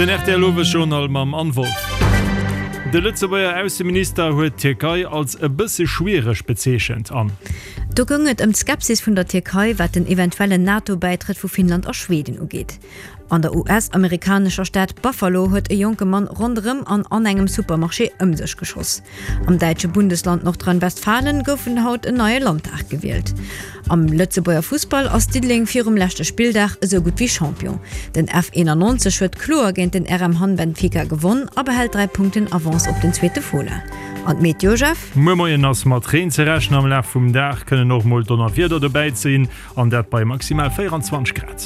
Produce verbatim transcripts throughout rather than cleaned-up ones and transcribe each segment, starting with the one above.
Den R T L Owesjournal mam Anne Wolff. De Lëtzebuerger Ausseminister huet d'Tierkei als e bësse schwiereg bezeechent an. Do goung et ëm d'Skepsis vun der Tierkei, wat den eventuellen NATO-Bäitrëtt vu Finnland a Schweden ugeet. An der U S-amerikanescher Stad Buffalo huet e jonke Mann ronderëm an an engem Supermarché ëm sech geschoss. Am däitsche Bundesland Nordrhein-Westfalen gouf haut en neie Landtag gewielt. Am Lëtzebuerger Fussball ass Diddeleng virum leschte Spilldag esou gutt wéi Champion. Den F einundneunzeg huet kloer géint den R M Hamm Benfica gewonnen a behält dräi Punkten Avance op den zweete Fola. An d'Meteo, Jeff? Muer Moien ass mat Reen ze rechnen, am Laf vum Dag kënnen och mol Donnerwieder dobäi sinn an dat bei maximal véierundzwanzeg Grad.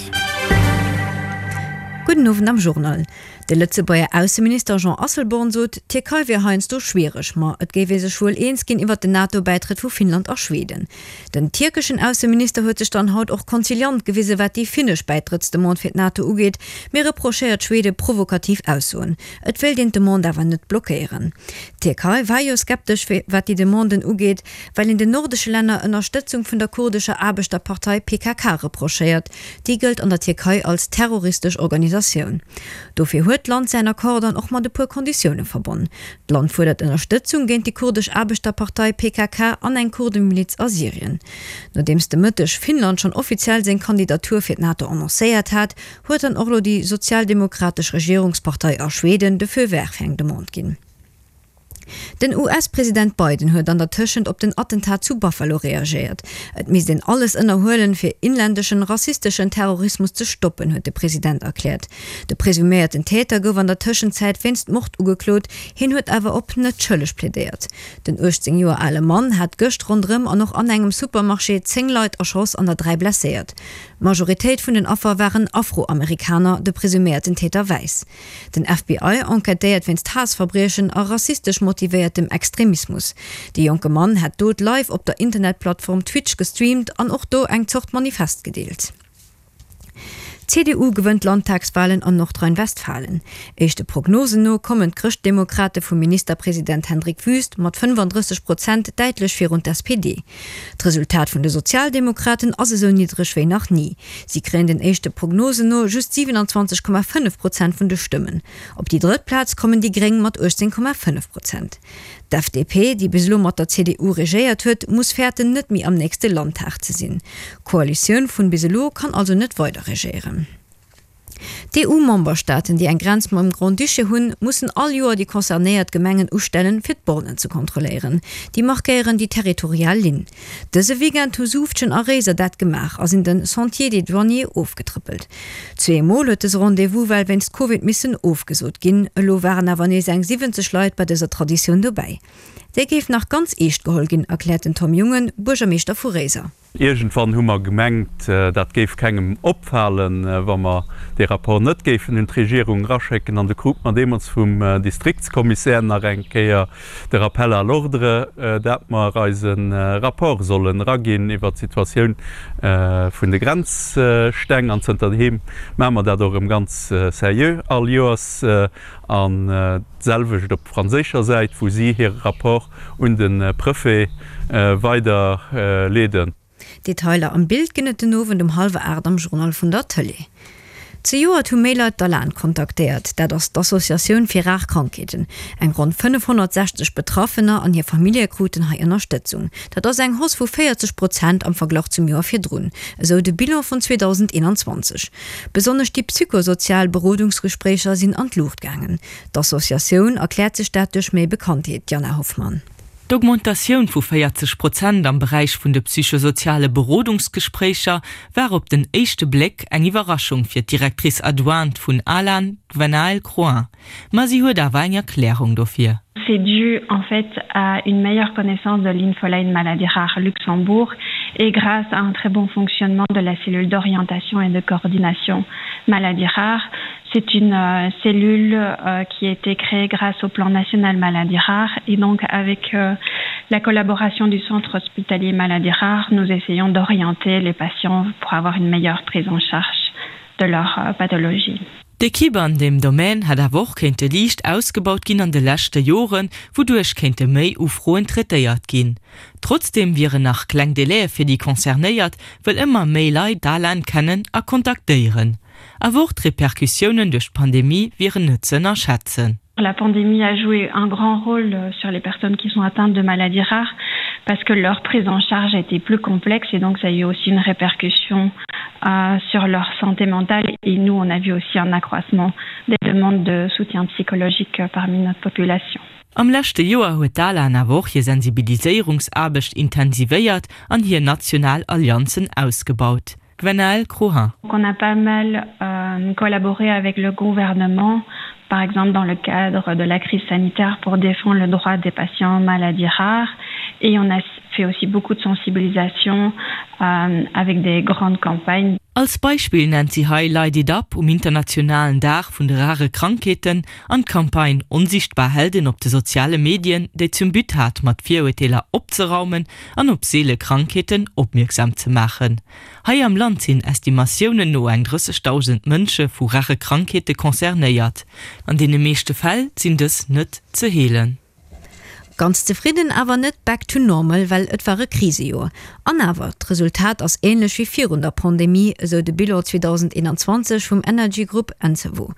Gudden Owend am Journal. De Lëtzebuerger Ausseminister Jean Asselborn sot, d'Tierkei wier heiansdo schwiereg, ma et géif ee sech wuel eens ginn iwwer den NATO-Bäitrëtt vu Finnland a Schweden. Den tierkeschen Ausseminister huet sech dann haut och konziliant gewisen, wat déi finnesch Bäitrëttsdemande fir d'NATO ugeet, mee reprochéiert Schwede provokativ Aussoen. Et wéilt een d'Demande awer net blockéieren. D'Tierkei war jo skeptesch, wat déi Demanden ugeet, well een den nordesche Länner Ënnerstëtzung vun der kurdescher Aarbechterpartei P K K reprochéiert. Déi gëllt an der Tierkei als terroristesch Organisatioun. Dofir huet d'Land säin Accord dann och mat e puer Konditioune verbonn. D'Land fuerdert Ënnerstëtzung géint déi kurdesch Aarbechterpartei P K K an eng Kurdemiliz a Syrien. Nodeems de Mëtteg Finnland schonn offiziell seng Kandidatur fir d'NATO annoncéiert hat, huet dann och elo déi sozialdemokratesch Regierungspartei a Schweden de Feu vert fir eng Demande ginn. Den U S-President Biden huet an der Tëschent op den Attentat zu Buffalo reagéiert. Et misst een alles ënnerhuelen, fir inländeschen rassisteschen Terrorismus ze stoppen, huet de President erkläert. De presuméierten Täter gouf an der Tëschenzäit wéinst Mord ugeklot, hien huet awer op net schëlleg plädéiert. Den uechtzéng Joer ale Mann hat gëscht ronderëm an och an engem Supermarché zéng Leit erschoss an der dräi blesséiert. D'Majoritéit vun den Affer waren Afroamerikaner, de presuméierten Täter wäiss. Den F B I enquêtéiert wéinst Haassverbriechen a rassistesch motivéiertem Extremismus. De jonke Mann hat d'Dot live op der Internetplattform Twitch gestreamt an och do eng Zort Manifest gedeelt. D'C D U gewënnt d'Landtagswalen an Nordrhein-Westfalen. Éischte Prognosen no kommen d'Chrëschtdemokrate vum Ministerpresident Hendrik Wüst mat fënnefandrësseg Prozent däitlech virun d'S P D. D'Resultat vun de Sozialdemokraten ass esou niddreg wéi nach ni. Si kréien den éischte Prognosen no just siewenundzwanzeg Komma fënnef Prozent vun de Stëmmen. Op déi drëtt Plaz kommen déi Gréng mat uechtzéng Komma fënnef Prozent. D'F D P, déi bis elo mat der C D U regéiert huet, muss fäerten, net méi am nächste Landtag ze sinn. D'Koalitioun vun bis elo kann also net weider regéieren. D'E U-Memberstaaten, déi eng Grenz mam Grand-Duché hunn, mussen all Joer déi concernéiert Gemengen ustellen, fir d'Bornen ze kontrolléieren. Déi markéieren déi territorial Linn. Dëse Weekend hu Suuftgen a Réiser dat gemaach a sinn de Sentier des Douaniers ofgetrëppelt. Zwee Mol huet dëse Rendez-vous well wéinst Covid missen ofgesot ginn. Elo waren awer nees eng siwwenzeg Leit bei dëser Traditioun dobäi. Déi géif nach ganz eescht geholl ginn, erkläert den Tom Jungen, Buergermeeschter vu Réiser. Iergendwann hu mer gemengt, dat géif kengem opfalen, wa mer dee Rapport net géifen un d'Regierung eraschécken. An du krute mer deemools vum Distriktskommissär nach eng Kéier de Rappel à l'ordre, dat mer eise Rapport sollen eraginn iwwer d'Situatioun vun de Grenzsteng. An zënterdeem maache mer dat och erëm ganz seriö all Joers. An d'selwecht op franséischer Säit, wou si hire Rapport un de Prefet weiderleeden. Detailer am Bild ginn et den Owend um hallwer aacht am Journal vun der Tëlee. Zejoert hu méi Leit d'ALAN kontaktéiert, dat ass d'Associatioun fir rar Krankheeten. Eng ronn fënnefhonnertsechzeg Betraffener an hir Famillje kruten hei Ënnerstëtzung. Dat ass eng Hausse vu véierzeg Prozent am Verglach zum Joer virdrun, esou de Bilan vun zweedausendeenanzwanzeg. Besonnesch déi psychosozial Berodungsgespréicher sinn an d'Luucht gaangen. D'Associatioun erkläert sech dat duerch méi Bekanntheet, Jana Hoffmann. D'Augmentatioun vu véierzeg Prozent am Beräich vun de psychosoziale Berodungsgespréicher war op den éischte Bléck eng Iwwerraschung fir d'Directrice adjointe vun ALAN, Gwenaëlle Croin. Ma si huet awer eng Erklärung dofir. C'est dû en fait à une meilleure connaissance de l'infoline maladie rare Luxembourg et grâce à un très bon fonctionnement de la cellule d'orientation et de coordination maladie rare. C'est une euh, cellule euh, qui a été créée grâce au plan national maladie rare et donc avec euh, la collaboration du centre hospitalier maladie rare, nous essayons d'orienter les patients pour avoir une meilleure prise en charge de leur euh, pathologie. D'Ekipp an deem Domaine hätt awer och kéinte liicht ausgebaut ginn an de leschte Joren, wouduerch kéinte méi Ufroen traitéiert ginn. Trotzdeem wieren nach kleng Delaie fir déi Concernéiert, well ëmmer méi Leit d'ALAN kennen a kontaktéieren. Awer och d'Repercussiounen duerch d'Pandemie wieren net ze ënnerschätzen. La pandémie a joué un grand rôle euh, sur les personnes qui sont atteintes de maladies rares parce que leur prise en charge a été plus complexe et donc ça a eu aussi une répercussion euh, sur leur santé mentale et nous on a vu aussi un accroissement des demandes de soutien psychologique euh, parmi notre population. Am leschte Joer huet d'ALAN awer och hir Sensibiliséierungsaarbecht intensivéiert an hir national Allianzen ausgebaut. Gwenaëlle Crohin. On a pas mal euh, collaboré avec le gouvernement, par exemple dans le cadre de la crise sanitaire pour défendre le droit des patients maladies rares et on a fait aussi beaucoup de sensibilisation euh, avec des grandes campagnes. Als Beispill nennt si hei Light It Up um internationalen Dag vun de rare Krankheeten an d'Campagne Onsichtbar Helden op de soziale Medien, déi zum But hat, mat Virurteeler opzeraumen an op seele Krankheeten opmierksam ze maachen. Hei am Land sinn Estimatiounen no eng drëssegdausend Mënsche vu rare Krankheete concernéiert. An deene meeschte Fäll sinn dës net ze heelen. Ganz zefridden awer net back to normal, well et war e Krisejoer. An awer, d'Resultat ass änlech wéi virun der Pandemie, esou de Bilan zweedausendeenanzwanzeg vum Energy Grupp Encevo,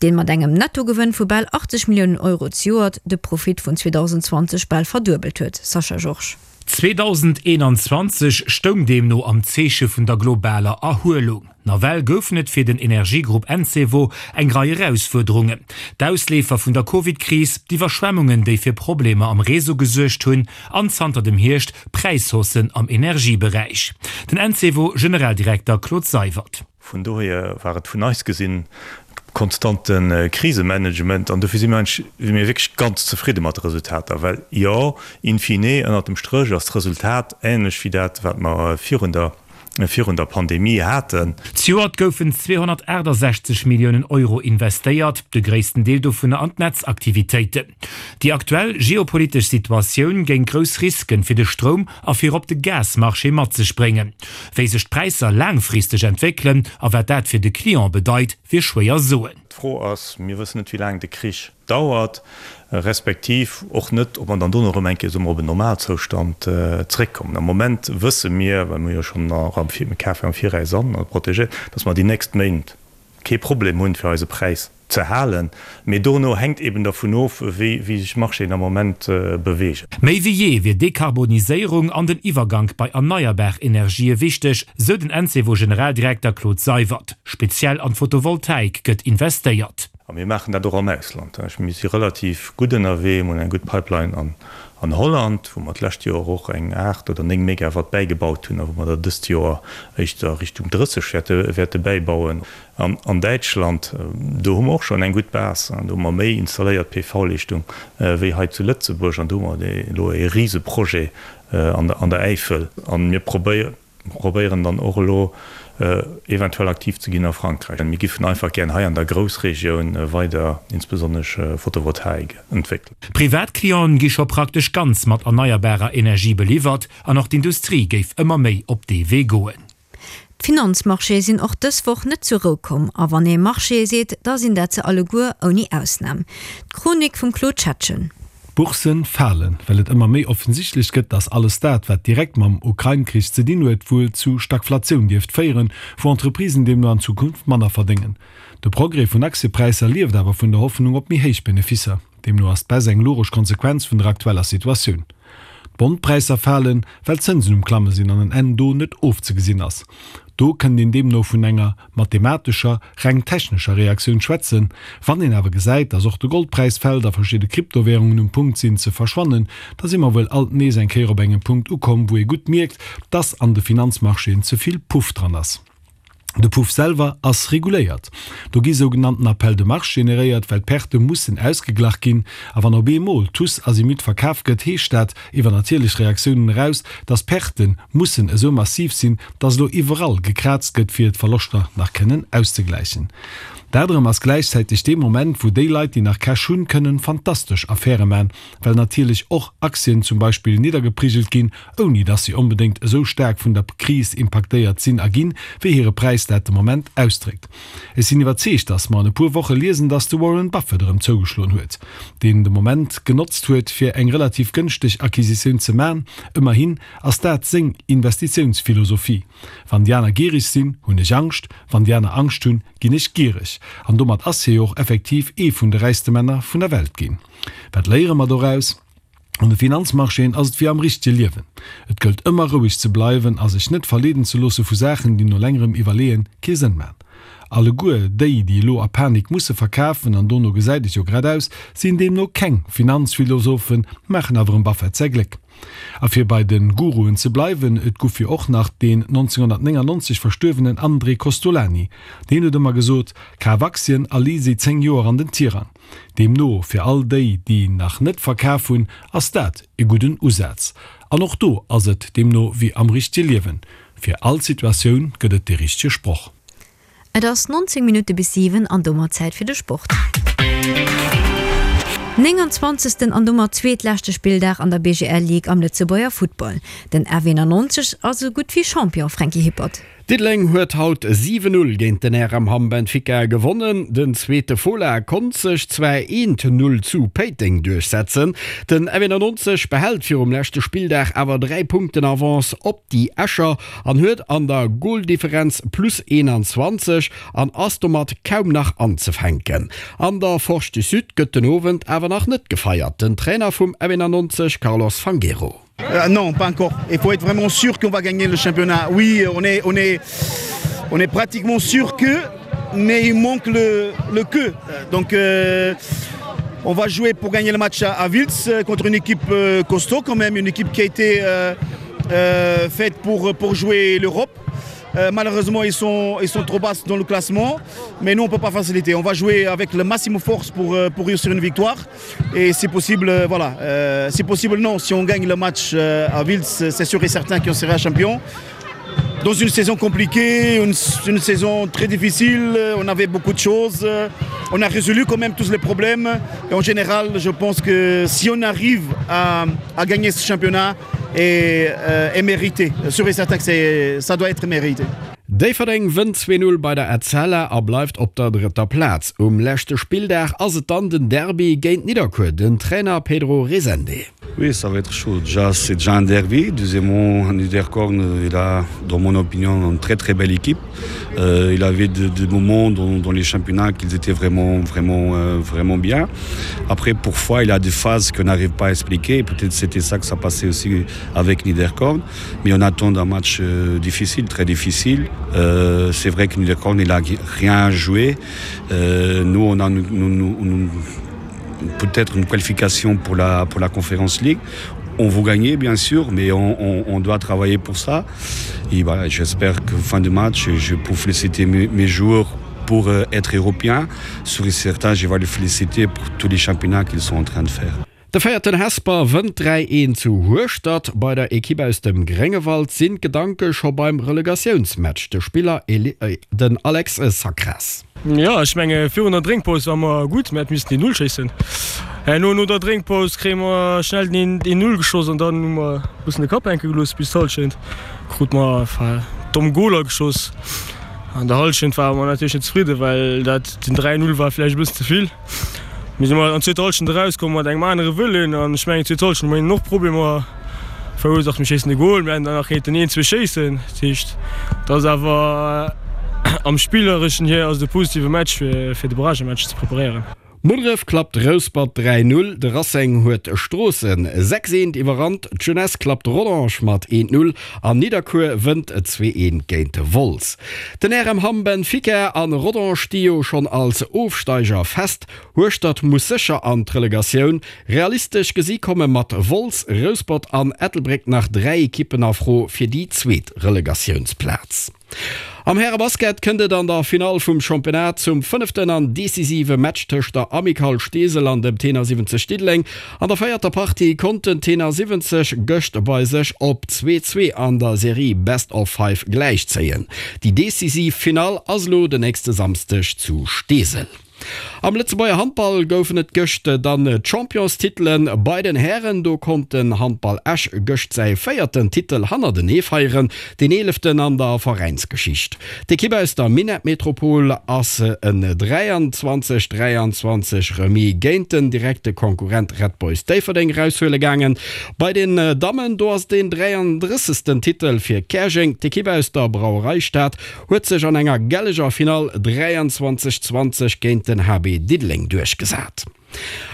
deen mat engem Nettogewënn vu bal achtzeg Milliounen Euro zejoert de Profit vun zweedausendzwanzeg bal verduebelt huet. Sascha Georges. Zweedausendeenanzwanzeg stoung deemno am Zeeche vun der globaler Erhuelung. Nawell goufen et fir den Energiegrupp Encevo eng Rei Erausfuerderungen, D'Ausleefer vun der Covid-Kris, d'Iwwerschwemmungen, déi fir Problemer am Réseau gesuergt hunn, an zanter dem Hierscht Präishaussen am Energieberäich. Den Encevo-Generaldirekter Claude Seywert. Vun dohier war et vun eis gesinn konstante Krisemanagement an dofir si mir eigentlech, si mir wierklech ganz zefridde mat de Resultater, well jo, in fine, ënnert dem Stréch ass d'Resultat ähnlech wéi dat, wat mer virun der, virun der Pandemie haten. Zejoert goufen zweehonnertaachtasechzeg Milliounen Euro investéiert, de gréissten Deel dovunner an d'Netzaktivitéiten. Déi aktuell geopolitesch Situatioun géing grouss Risken fir de Stroum a fir op de Gasmarché mat sech bréngen. Wéi sech d'Präisser laangfristeg entwéckelen a wat dat fir de Client bedeit, wier schwéier soen. D'Fro ass, mir wëssen net wéi laang de Krich dauert, respektiv och net, ob mer dann dono erëm eng Kéier, soe mer, op en Normalzoustand zréckkommen. Am Moment wësse mir, well mir jo schonn am Kafe am Viraus an protegéiert, datt mer déi nächst Méint kee Problem hunn, fir eise Präis ze halen. Mee dono hänkt eben dervun of, wéi sech d'Marchéen am Moment beweegen. Méi wéi jee wier Dekarboniséierung an den Iwwergank bei erneierbar Energië wichteg, sou den Encevo-Generaldirekter Claude Seywert. Speziell an d'Photovoltaik gëtt investéiert. A mir maachen dat och am Ausland. Mir si relativ gutt ënnerwee, mir hunn eng gutt Pipeline an Holland, wou mer d'lescht Joer och eng aacht oder néng Megawatt bäigebaut hunn a wou mer der dëst Joer éischter Richtung drësseg wäerte bäibauen. An an Däitschland, do hu mer och schonn eng gutt Base, do hu mer méi installéiert P V-Leeschtung wéi hei zu Lëtzebuerg an do hu mer elo e Riseprojet an der Äifel. A mir probéieren dann och elo eventuell aktiv ze ginn a Frankräich. Mir giffen einfach gären hei an der Groussregioun weider insbesonnesch Photovoltaik entwéckelen. Privatclienten gi scho praktesch ganz mat erneierbarer Energie beliwwert an och d'Industrie géif ëmmer méi op dee Wee goen. D'Finanzmarchéë sinn och dës Woch net zur Rou komm. A wann ee Marchéë seet, da sinn dat se alleguer, ouni Ausnam. D'Chronik vum Claude Schettgen. D'Bourssen falen, well et ëmmer méi offensichtlech gëtt, dass alles dat, wat direkt mam Ukrain-Krich ze dinn huet, wuel zu Stagflatioun dierft féieren, wou Entreprisen deemno an Zukunft manner verdéngen. De Progrès vun Aktiepräisser lieft awer vun der Hoffnung op méi héich Beneficer. Deemno ass d'Baisse eng logesch Konsequenz vun der aktueller Situatioun. D'Bondpräisser falen, well d'Zënsen um Klamme sinn an en Enn do net ofzegesinn ass. Do kënnt een deemno vun enger mathematescher, reng technescher Reaktioun schwätzen. Wann een awer gesäit, dass och de Goldpräis fält a verschidde Kryptowärungen um Punkt sinn ze verschwannen, da si mer wuel alt nees eng Kéier op engem Punkt ukomm, wou ee gutt mierkt, dass an de Finanzmarchéen ze vill Puff dran ass. De Puff selwer ass reguléiert. Do gi sougenannten Appels de marge generéiert, well d'Perte mussen ausgeglach ginn. A wann op eemol tous azimut verkaf gëtt, heescht dat, iwwer natierlech Reaktiounen eraus, dass d'Perte mussen esou massiv sinn, dass elo iwwerall gekraazt gëtt, fir d'Verloschter nach kënnen auszegläichen. Dat erëm ass gläichzäiteg dee Moment, wou déi Leit, déi nach Cash hunn, kënnen fantastesch Affäre man, well natierlech och Aktien zum Beispill niddergeprigelt ginn, ouni dass si onbedéngt esou staark vun der Kris impaktéiert sinn a ginn, wéi hire Präis dat de Moment ausdréckt. Ech sinn iwwerzeegt, dass mer an e puer Woche liesen, dass de Warren Buffett erëm zougeschloen huet, deen de Moment genotzt huet, fir eng relativ gënschteg Acquisitioun ze man. Ëmmerhin ass dat seng Investitiounsphilosophie, Wann déi aner giereg sinn, hunn ech Angscht, wann déi aner Angscht hunn, ginn ech giereg. An domat ass hie jo och effektiv ee vun de räichste Männer vun der Welt ginn. Wat léiere mer doraus? An de Finanzmarchéen ass et wéi am richtege Liewen, Et gëllt ëmmer roueg ze bleiwen a sech net verleeden ze loosse vu Saachen, déi no längerem Iwwerleeën kee Sënn man. Alleguer déi, déi elo a Panik musse verkafen, an dono gesäit et jo grad aus, sinn deemno keng Finanzphilosophen, maachen awer em Buffett säi Gléck. A fir bei de Guruen ze bleiwen, et guff jo och nach deen nonzénghonnertnéngannonzeg verstuerwenen André Kostolany. Deen huet ëmmer gesot, Kaf Aktien a lee si zéng Joer an den Tirang. Deemno, fir all déi, déi nach net verkaf hunn, ass dat e gudden Usaz. An och do ass et deemno wéi am richtege Liewen, fir all Situatioun gëtt et dee richtege Sproch. Et ass nonzéng Minutte bis siwen an domat Zäit fir de Sport. Nénganzwanzegsten an domat zweetleschte Spilldag an der B G L Ligue am Lëtzebuerger Futtball. Den F eenannonzeg ass esou gutt wéi Champion, Franky Hippert. Diddeleng huet haut siwen Null géint den R M Hamm Benfica gewonnen. Den zweete Fola konnt sech zwar eent Null zu Péiteng duerchsetzen. Den F eenannonzeg behält virum leschte Spilldag awer dräi Punkten Avance op déi Escher an huet an der Goldifferenz plus eenanzwanzeg an ass domat kaum nach anzefänken. An der Forge du Sud gëtt den Owend awer nach net gefeiert. Den Trainer vum F eenannonzeg Carlos Fangueiro. Euh, non, pas encore. Il faut être vraiment sûr qu'on va gagner le championnat. Oui, on est, on est, on est pratiquement sûr que, mais il manque le, le que. Donc euh, on va jouer pour gagner le match à, à Wiltz contre une équipe euh, costaud quand même, une équipe qui a été euh, euh, faite pour, pour jouer l'Europe. Euh, malheureusement, ils sont, ils sont trop bas dans le classement, mais nous, on ne peut pas faciliter. On va jouer avec le maximum force pour, pour réussir une victoire. Et si possible, voilà. Euh, si possible, non. Si on gagne le match à Wiltz, c'est sûr et certain qu'on sera champion. Dans une saison compliquée, une, une saison très difficile, on avait beaucoup de choses. On a résolu quand même tous les problèmes. Et en général, je pense que si on arrive à, à gagner ce championnat, est, euh, est mérité. Sûr et certain que c'est, ça doit être mérité. Déifferdeng wënnt zwee Null bei der Etzella a bleift op der drëtter Plaz. Um leschte Spilldag ass et dann den Derby géint Nidderkuer, den Trainer Pedro Rezende. Oui, ça va être chaud. Déjà, c'est déjà un derby. Deuxièmement, Niederkorn, il a, dans mon opinion, une très très belle équipe. Euh, il avait des, des moments dans, dans les championnats qu'ils étaient vraiment, vraiment, euh, vraiment bien. Après, parfois, il a des phases qu'on n'arrive pas à expliquer. Peut-être c'était ça que ça passait aussi avec Niederkorn. Mais on attend un match euh, difficile, très difficile. Euh, c'est vrai que Niederkorn, il a rien joué. Euh, nous, on a nous, nous, nous, peut-être une qualification pour la, pour la Conference League. On veut gagner, bien sûr, mais on, on, on doit travailler pour ça. Et voilà, j'espère que fin de match, je peux féliciter mes, mes joueurs pour euh, être européen. Sur certains, je vais les féliciter pour tous les championnats qu'ils sont en train de faire. De véierten Hesper wënnt dräi eent zu Hueschtert. Bei der Ekipp aus dem Gréngewald sinn d'Gedanke scho beim Relegatiounsmatch. De Spiller den Alex Sacras. Jo, ech menge virun der Drénkpaus war mer gutt, mir hätte missen een Null schéissen. Herno no der Drénkpaus kréie mer schnell den een Null geschoss an dann hu mer e bëssen de Kapp hänke gelooss bis d'Hallschent. Krute mer domm Goler geschoss. An der Hallschent ware mer natierlech net zefridden, well dat den dräi Null war vläicht e bëssen ze vill. Mir si an zweeter Hallschent erauskomm mat engem anere Wëllen an ech mengen zweet Hallschent hu mer hinnen och Problemer verursaacht. Mir schéissen e Gol, mir hätten der nach kéinten een, zwee schéissen. Dat heescht, et ass awer am spillereschen hier ass et e positive Match fir fir de Barragematch ze preparéieren. Munneref klappt Rouspert dräi Null, de Racing huet Stroossen sechs eent iwwerrannt, d'Jeunesse klappt Rodange mat eent Null an Nidderkuer wënnt zwee eent géint Wolz. Den R M Hamm Benfica an Rodange sti jo schonn als Ofsteiger fest. Hueschtert muss sécher an d'Relegatioun. Realistesch gesi komme mat Wolz, Rouspert an Ettelbréck nach dräi Ekippen a Fro fir déi zweet Relegatiounsplaz. Am Härebasket kënnt et an der Finall vum Championnat zum fënneften an decisive Match tëscht der Amicale Steesel an dem Tenor siwwenzeg Diddeleng. An der véierter Partie konnt den Tenor siwwenzeg gëscht bei sech op zwee, zwee an der Serie Best of Five gläichzéien. Déi decisiv Finall ass elo den nächste Samsdeg zu Steesel. Am Lëtzebuerger Handball goufen et gëscht dann d'Championstitelen bei den Hären. Do konnt den Handball Esch gëscht säi véierten Titel hannertenee feieren, deen eeleften an der Veräinsgeschicht. D'Ekipp aus der Minettmetropol ass en dräianzwanzeg, dräianzwanzeg Remis géint den direkte Konkurrent Red Boys Déifferdeng eraushuele gaangen. Bei den Dammen, do ass et deen dräiandrëssegsten Titel fir Käerjeng. D'Ekipp aus der Brauereistad huet sech an enger gelleger Finall dräianzwanzeg, zwanzeg géint den H B Diddeleng duerchgesat.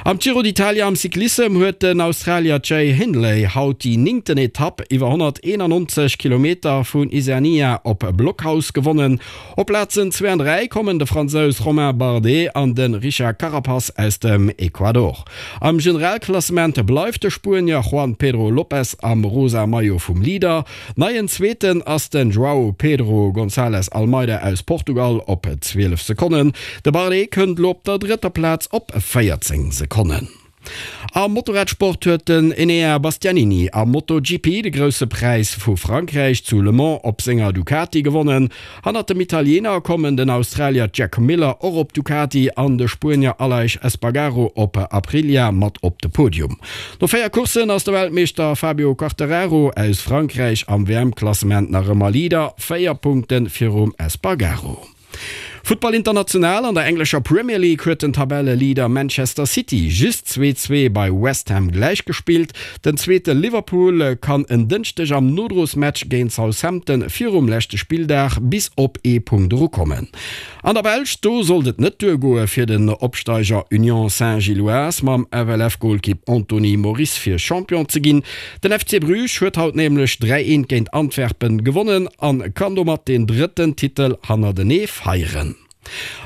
Am Giro d'Italia am Cyclissem huet den Australier Jay Hindley haut déi néngten Etapp iwwer honnerteenannonzeg Kilometer vun Isernia op Blockhaus gewonnen. Op Plazen zwee an dräi kommen de Fransous Romain Bardet an de Richard Carapaz aus dem Ecuador. Am Generalklassement bleift de Spuenier Juan Pedro Lopez am rosa Maillot vum Leader. Neien Zweeten ass den Joao Pedro Gonçalves Almeida aus Portugal op zwielef Sekonnen. De Bardet kënnt elo op der drëtter Plaz op véierzéng Sekonnen. Am Motorradsport huet den Enea Bastianini am MotoGP de Grousse Präis vu Frankräich zu Le Mans op senger Ducati gewonnen. Hannert dem Italiener kommen den Australier Jack Miller och op Ducati an de Spuenier Aleix Espargaro op Aprilia mat op de Podium. No véier Courssen ass de Weltmeeschter Fabio Quartararo aus Frankräich am W M-Klassement nach ëmmer Leader, véier Punkte virum Espargaro. Futtball international, An der englescher Premier League huet den Tabelleleader Manchester City just zwee, zwee bei West Ham gläichgespillt. Den zweete Liverpool kann en Dënschdeg am Nodrosmatch géint Southampton virum leschte Spilldag bis op ee Punkt erukommen. An der Belsch, do sollt et net duergoe fir den Opsteiger Union Saint-Gilloise mam F L F-Golkipp Anthony Moris fir Champion ze ginn. Den F C Bruges huet haut nämlech dräi eent géint Antwerpen gewonnen an kann domat den drëtten Titel hannertenee feieren.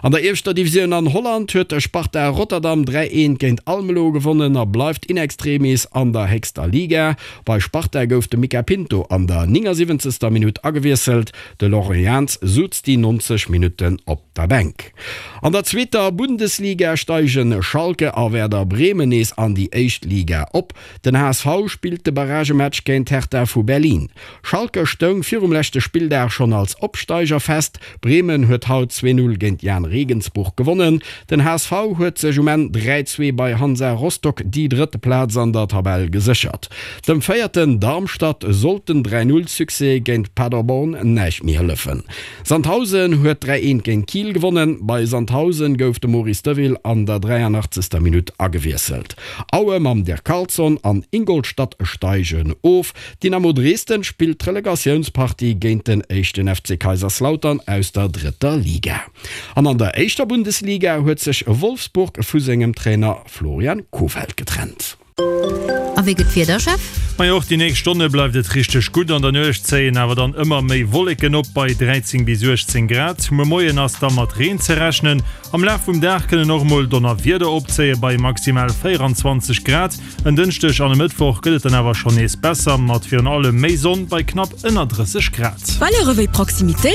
An der ieweschter Divisioun an Holland huet Sparta Rotterdam dräi eent géint Almelo gewonnen a bleift in extremis an der héchster Liga. Bei Sparta gouf de Mica Pinto an der néngasiwwenzegster Minutt agewiesselt, de Laurent Jans sutz déi neunzeg Minutten op der Bänk. An der zweeter Bundesliga steigen Schalke a Werder Bremen nees an déi éischt Liga op. Den H S V spillt de Barragematch géint Hertha vu Berlin. Schalke stoung virum leschte Spilldag schonn als Opsteiger fest. Bremen huet haut zwee Null géint Jahn Regensburg gewonnen. Den H S V huet sech um Enn dräi zwee bei Hansa Rostock déi drëtte Plaz an der Tabell geséchert. Dem Véierten Darmstadt sollt den dräi Null Succès géint Paderborn näischt méi hëllefen. Sandhausen huet dräi eent géint Kiel gewonnen. Bei Sandhausen gouf de Maurice Deville an der dräianachtzegster Minutt agewiesselt. Aue mam Dirk Carlson an Ingolstadt steigen of. Dynamo Dresden spillt d'Relegatiounspartie géint den éischten F C Kaiserslautern aus der drëtter Liga. An an der éischter Bundesliga huet sech Wolfsburg vu sengem Trainer Florian Kohfeldt getrennt. A wéi gëtt d'Wieder, Jeff? Majo, och déi nächst Stonne bleift et richteg gutt. An der Nuecht zéien awer dann ëmmer méi Wolleken op bei dräizéng bis uechtzéng Grad. Muer Moien ass da mat Reen ze rechnen. Am Laf vum Dag kënnen och mol Donnerwieder opzéie bei maximal véieranzwanzeg Grad. En Dënschdeg an e Mëttwoch gëtt et dann awer schonn nees besser, mat virun allem méi Sonn bei knapp ënner drësseg Grad. Valeuren wéi Proximitéit.